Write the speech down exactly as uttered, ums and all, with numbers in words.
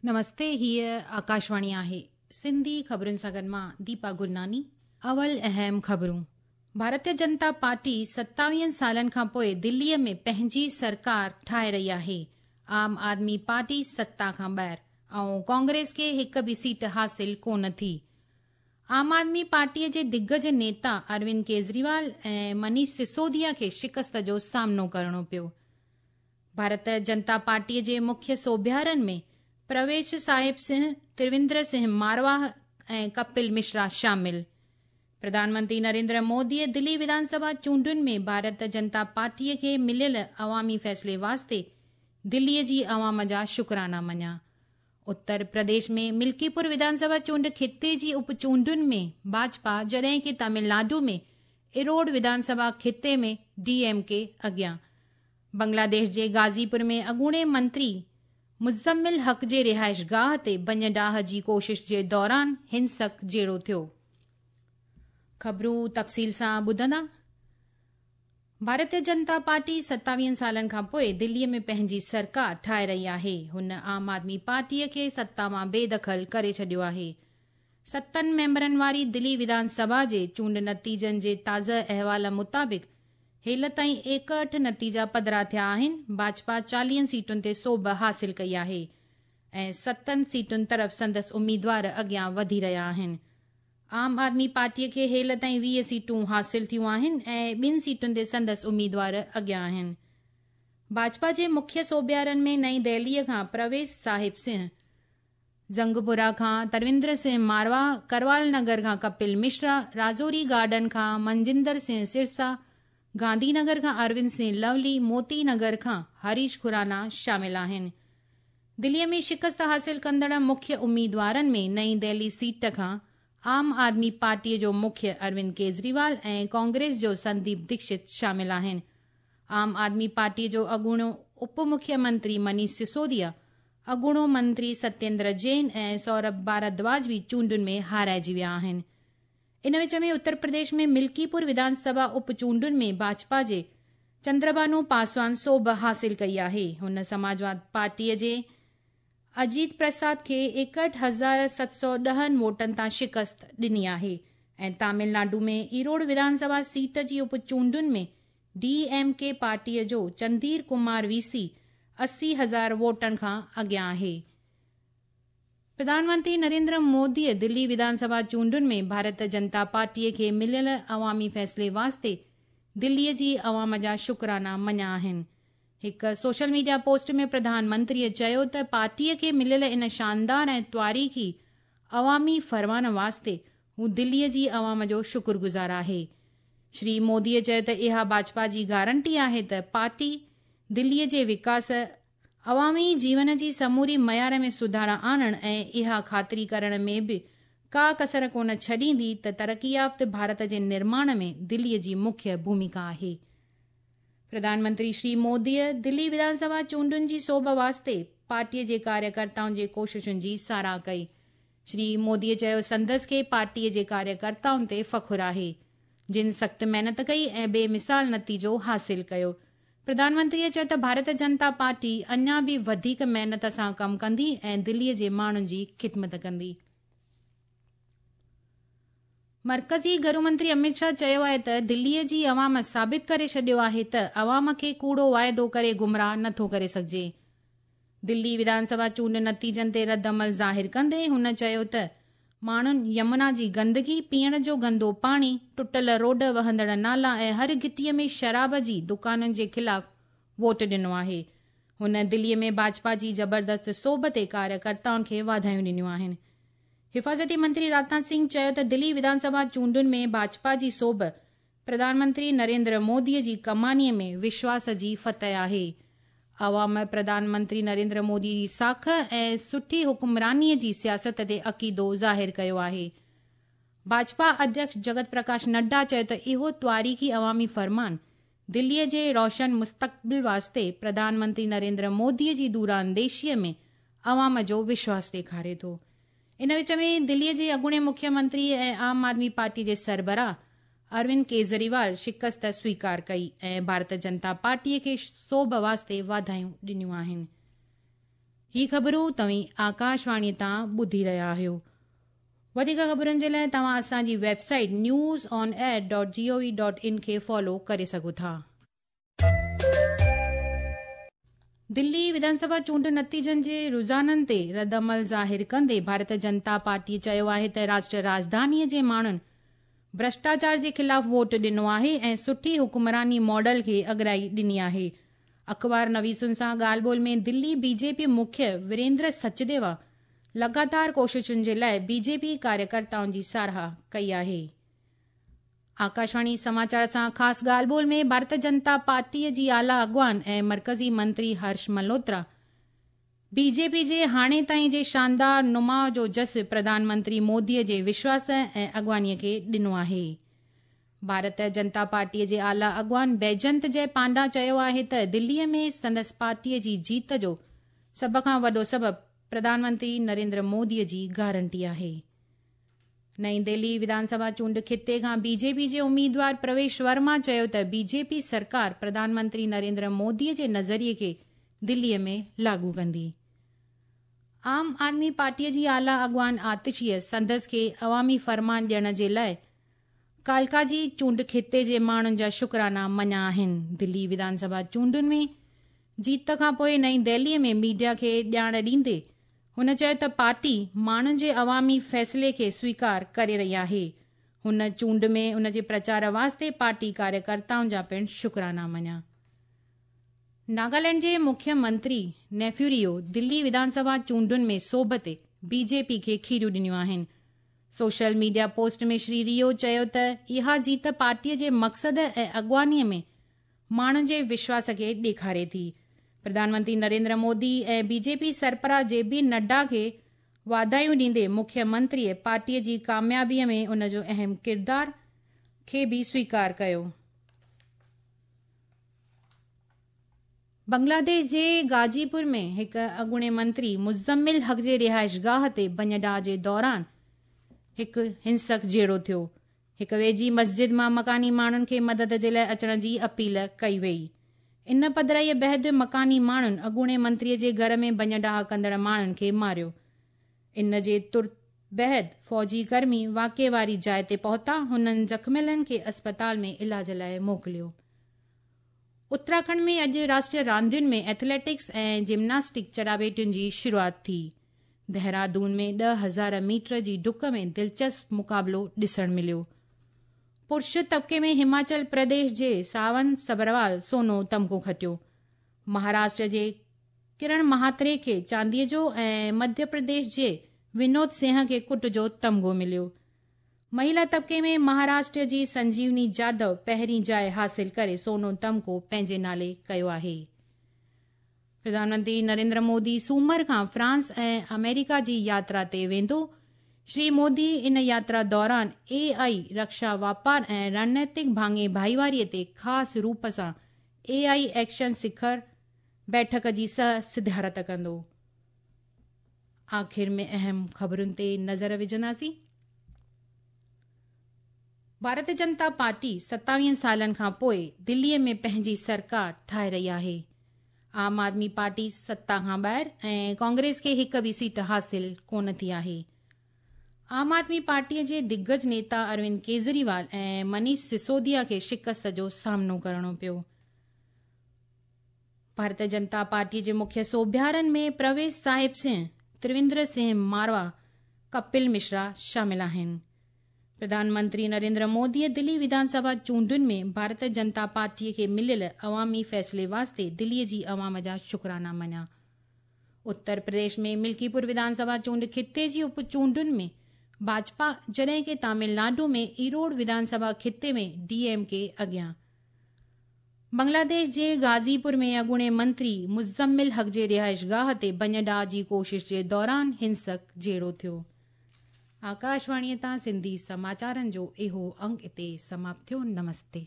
نمستي، هيءَ آڪاشواڻي آهي. سنڌي خبرن سان گڏ مان ديپا گرناني. اول اهم خبرون. ڀارتيه جنتا پارٽي ستاويهن سالن کان پوءِ دليءَ ۾ پنهنجي سرڪار ٺاهي رهي آهي. عام آدمي پارٽي ستا کان ٻاهر ۽ ڪانگريس کي هڪ به سيٽ حاصل ڪونه ٿي. عام آدمي پارٽيءَ جي دگج نيتا اروند ڪيجريوال ۽ منيش سسوديا کي شڪست جو سامنو ڪرڻو پيو. ڀارت جنتا پارٽيءَ جي مکيه سوڀيارن ۾ پرويش صاحب سنگهه، ترويندر سنگهه مارواهه ۽ ڪپل مشرا شامل. پرڌان منتري نريندر موديءَ دلي وڌان سڀا چونڊن ۾ ڀارت جنتا پارٽيءَ کي مليل عوامي فيصلي واسطي دليءَ جي عوام جا شڪرانا مڃيا. اتر پرديش ۾ ملڪيپور وڌان سڀا چونڊ خطي جي اپ چونڊن ۾ ڀاجپا، جڏهن ڪه تامل ناڊو ۾ ايروڊ وڌان سڀا خطي ۾ ڊي ايم ڪي اڳيان. بنگلاديش جي غازيپور ۾ اڳوڻي منتري مزمل حق جي رهائش گاهه تي ڀڃ ڊاهه جي ڪوشش جي دوران هنسڪ جهيڙو ٿيو. خبرون تفصيل سان ٻڌندا. ڀارتيه جنتا پارٽي ستاويهن سالن کان پوءِ دليءَ ۾ پنهنجي سرڪار ٺاهي رهي آهي. هن عام آدمي پارٽيءَ کي ستا مان بيدخل ڪري ڇڏيو آهي. ستن ميمبرن واري دلي وڌان سڀا جي چونڊ نتيجن جي تازه احوال مطابق هيل تائين ايڪهٺ نتيجا پڌرا ٿيا آهن. ڀاجپا چاليهن سيٽن تي سوڀ حاصل ڪئي آهي ۽ ستن سيٽن طرف سندس اميدوار اڳيان وڌي رهيا آهن. عام آدمي پارٽيءَ کي هيل تائين ويهه سيٽون حاصل ٿيون آهن ۽ ٻن سيٽن تي سندس اميدوار اڳيان آهن. ڀاجپا جي مکيه سوڀيارن ۾ نئين دهليءَ کان پرويش صاحب سنگهه، جنگپورا کان ترويندر سنگهه مارواهه، ڪروال نگر کان ڪپل مشرا، راجوري گارڊن کان منجندر سنگهه سرسا، گانڌي نگر کان اروند سنگهه لولي، موتي نگر کان هريش کرانا شامل آهن. دليءَ ۾ شڪست حاصل ڪندڙ مکيه اميدوارن ۾ نئين دهلي سيٽ کان عام آدمي پارٽيءَ جو مکيه اروند ڪيجريوال ۽ ڪانگريس جو سنديپ ديڪشت شامل آهن. عام آدمي پارٽيءَ جو اڳوڻو اپ مکيه منتري منيش سسوديا، اڳوڻو منتري ستيندر جين ۽ سورڀ ڀاردواج به چونڊن ۾ هارائجي ويا آهن. ان وچ ۾ اتر پرديش ۾ ملڪيپور وڌان سڀا اپ چونڊن ۾ ڀاجپا جي چندرڀانو پاسوان سوڀ حاصل ڪئي آهي. هن سماجواد پارٽيءَ جي اجيت پرساد کي ايڪهٺ هزار ست سؤ ڏهن ووٽن تان شڪست ڏني آهي ۽ تامل ناڊو ۾ ايروڊ وڌان سڀا سيٽ جي اپ چونڊن ۾ ڊي ايم ڪي پارٽيءَ جو چندير ڪمار وي سي اسي هزار ووٽن کان اڳيان آهي. پرڌان منتري نريندر موديءَ دلي وڌان سڀا چونڊن ۾ ڀارت جنتا پارٽيءَ کي مليل عوامي فيصلي واسطي دليءَ جي عوام جا شڪرانا مڃيا آهن. هڪ سوشل ميڊيا پوسٽ ۾ پرڌان منتريءَ چيو ته پارٽيءَ کي مليل ان شاندار ۽ تواريخي عوامي فرمان واسطي هو دليءَ جي عوام جو شڪرگذار آهي. شري موديءَ چيو ته اها ڀاجپا جي گارنٽي آهي ته پارٽي دليءَ جي وڪاس، عوامي جيون جي سموري معيار ۾ سڌارا آڻڻ ۽ اها خاطري ڪرڻ ۾ به ڪا ڪسر ڪونه ڇڏيندي ته ترقي يافته ڀارت جي نرماڻ ۾ دليءَ جي مکيه ڀومڪا آهي. پرڌان منتري شري موديءَ دلي وڌان سڀا چونڊن جي سوڀ واسطي پارٽيءَ جي ڪاريڪرتائن جي ڪوششن جي ساراهه ڪئي. شري موديءَ چيو سندس کي پارٽيءَ جي ڪاريڪرتائن تي فخر آهي، جن سخت محنت ڪئي ۽ بي مثال نتيجو حاصل ڪيو. پرڌان منتريءَ چيو ته ڀارت جنتا پارٽي اڃا به وڌيڪ محنت سان ڪم ڪندي ۽ دليءَ جي ماڻهن جي خدمت ڪندي. مرڪزي گهرو منتري امت شاهه چيو آهي ته دليءَ جي عوام ثابت ڪري ڇڏيو آهي ته عوام کي ڪوڙو واعدو ڪري گمراهه نٿو ڪري سگهجي. دلي وڌان سڀا چونڊ نتيجن تي رد عمل ظاهر ڪندي هن چيو ته ماڻهن يمنا جي گندگي، پيئڻ جو گندو پاڻي، ٽٽل روڊ، وهندڙ نالا ۽ هر گهٽيءَ ۾ شراب جي دڪانن جي خلاف ووٽ ڏنو آهي. هن دليءَ ۾ ڀاجپا جي زبردست سوڀ تي ڪاريڪرتائن کي واڌايون ڏنيون آهن. حفاظتي منتري راجناٿ سنگهه چيو ته دلي وڌان سڀا چونڊن ۾ ڀاجپا جي سوڀ پرڌان منتري نريندر موديءَ جي ڪمانيءَ ۾ وشواس جي فتح آهي. عوام پرڌان منتري نريندر مودي جي ساک ۽ سٺي حڪمرانيءَ جي سياست تي عقيدو ظاهر ڪيو آهي. ڀاجپا اڌيڪش جگت پرڪاش نڊا چيو ته اهو تواريخي عوامي فرمان دليءَ جي روشن مستقبل واسطي پرڌان منتري نريندر موديءَ جي دورانديشيءَ ۾ عوام جو وشواس ڏيکاري ٿو. ان وچ ۾ دليءَ جي اڳوڻي مکيه منتري ۽ عام آدمي پارٽي جي سربراهه اروند ڪيجريوال شڪست سويڪار ڪئي ۽ ڀارت جنتا پارٽيءَ کي سوڀ واسطي واڌايون ڏنيون آهن. هي خبرون توهين آڪاشواڻي تان ٻڌي رهيا آهيو. وڌيڪ خبرن جي لاءِ توهان اسان جي website news on air dot G O V dot in کي فالو ڪري سگهو ٿا. دلي وڌانسڀا چونڊ نتيجن جي رجحانن تي رد عمل ظاهر ڪندي ڀارتيه جنتا پارٽي چيو آهي ته راشٽر راڄڌانيءَ جي ماڻهن ڀرشٽاچار جي خلاف ووٽ ڏنو آهي ۽ سٺي حڪمراني ماڊل کي اڳرائي ڏني آهي. اخبار نويسن سان ڳالهه ٻولهه ۾ دلي بي جي پي مکيه ويريندر سچديوا لڳاتار ڪوششن جي لاءِ بي جي پي ڪاريڪرتائن جي ساراهه ڪئي آهي. آڪاشواڻي سماچار سان خاص ڳالهه ٻولهه ۾ ڀارتيه جنتا پارٽيءَ جي اعليٰ اڳواڻ ۽ مرڪزي منتري هرش ملهوترا بي جي پي جي هاڻي تائين جي شاندار نماءُ جو جس پرڌان منتري موديءَ جي وشواس ۽ اڳواڻيءَ کي ڏنو آهي. ڀارتيه جنتا پارٽيءَ جي اعليٰ اڳواڻ بيجنت جي پانڊا چيو آهي ته دليءَ ۾ سندس پارٽيءَ جي جيت جو سڀ کان وڏو سبب پرڌان منتري نريندر موديءَ جي گارنٽي آهي. نئين دهلي وڌانسڀا چونڊ خطي کان بي جي پي جي اميدوار پرويش ورما چيو ته بي جي پي سرڪار پرڌان منتري نريندر موديءَ جي نظريي کي دليءَ ۾ لاڳو ڪندي. عام آدمي پارٽيءَ جي اعليٰ اڳواڻ آتشيءَ سندس کي عوامي فرمان ڏيڻ جي لاءِ ڪالڪاجي چونڊ خطي جي ماڻهن جا شڪرانا مڃيا آهن. دلي وڌانسڀا چونڊن ۾ جيت کان پوءِ نئين دهليءَ ۾ ميڊيا کي ڄاڻ ڏيندي هن چيو ته پارٽي ماڻهن جي عوامي فيصلي کي سويڪار ڪري رهي آهي. هن چونڊ ۾ ان جي پرچار واسطي پارٽي ڪاريڪرتائن جا پڻ شڪرانا مڃيا. ناگالينڊ جي مکيه منتري نيفيوريو دلي وڌانسڀا چونڊن ۾ سوڀ تي بي جي پي کي کيريون ڏنيون آهن. سوشل ميڊيا پوسٽ ۾ شري ريو چيو ته اها جيت پارٽيءَ جي مقصد ۽ اڳواڻيءَ ۾ ماڻهن جي وشواس کي ڏيکاري ٿي. پرڌان منتري نريندر مودي ۽ بي جي پي سربراهه جي پي نڊا کي واڌايون ڏيندي مکيه منتريءَ پارٽيءَ جي ڪاميابيءَ ۾ ان جو اهم ڪردار کي به سويڪار ڪيو. بنگلاديش جي غازيپور ۾ هڪ اڳوڻي منتري مزمل حق جي رهائشگاهه تي ڀڃ جي دوران هڪ هنسڪ جهيڙو ٿيو. هڪ ويجهي مسجد مان مڪاني ماڻهن کي مدد جي لاءِ اچڻ جي اپيل ڪئي وئي. ان پڌرائيءَ بعد مڪاني ماڻهن اڳوڻي منتريءَ جي گهر ۾ ڀڃ ڊاهه ڪندڙ ماڻهن کي ماريو. ان جي ترت بعد فوجي ڪرمي واقعي واري جاءِ تي پهتا. هنن زخميلن کي اسپتال ۾ علاج لاءِ موڪليو. اتراکنڊ ۾ اڄ راشٽريه راندين ۾ ايٿليٽڪس ۽ جمناسٽڪ چٽاڀيٽين جي شروعات ٿي. دهرادون ۾ ڏهه هزار ميٽر جي ڊڪ ۾ دلچسپ مقابلو ڏسڻ مليو. پرش طبقي ۾ هماچل پرديش جي ساون سبروال سونو تمغو کٽيو. مهاراشٽر جي ڪرڻ مهاتري کي چانديءَ جو ۽ مڌيه پرديش جي ونود سنگهه کي ڪٽ جو تمغو مليو. مهلا طبقي ۾ مهاراشٽر جي سنجيوني جادو پهرين جاءِ حاصل ڪري سونو تمغو پنهنجي نالي ڪيو آهي. پرڌان منتري نريندر مودي سومر کان فرانس ۽ آمريڪا جي ياترا تي ويندو. شري مودي ان ياترا دوران اي آئي، رڪشا واپار ۽ رڻنيتڪ ڀاڱي ڀائيواريءَ تي خاص روپ سان اي آئي ايڪشن سکر بيٺڪ جي سهه صدارت ڪندو. آخر ۾ اهم خبرن تي نظر وجهنداسين. ڀارتيه جنتا پارٽي ستاويهه سالن کان پوءِ دليءَ ۾ پنهنجي سرڪار ٺاهي رهي آهي. عام آدمي پارٽي ستا کان ٻاهر ۽ ڪانگريس کي هڪ به سيٽ حاصل ڪونه ٿي آهي. عام آدمي پارٽيءَ جي دگج نيتا اروند ڪيجريوال ۽ منيش سسوديا کي شڪست جو سامنو ڪرڻو پيو. ڀارتيه جنتا پارٽيءَ جي مکيه سوڀيارن ۾ پرويش صاحب سنگهه، ترويندر سنگهه ماروا، ڪپل مشرا شامل آهن. پرڌان منتري نريندر موديءَ دلي وڌانسڀا چونڊن ۾ ڀارتيه جنتا پارٽيءَ کي مليل عوامي فيصلي واسطي دليءَ جي عوام جا شڪرانا مڃيا. اتر پرديش ۾ ملڪيپور وڌانسڀا چونڊ خطي جي اپ چونڊن ۾ ڀاجپا، جڏهن ڪه تامل ناڊو ۾ ايروڊ وڌانسڀا خطي ۾ ڊي ايم ڪي اڳيان. بنگلاديش جي غازيپور ۾ اڳوڻي منتري مزمل حق جي رهائشگاهه تي ڀڃ ڊاهه جي ڪوشش جي دوران هنسڪ جهيڙو ٿيو. آڪاشواڻيءَ تان سنڌي سماچارن جو اهو انگ هتي سماپت ٿيو. نمستي.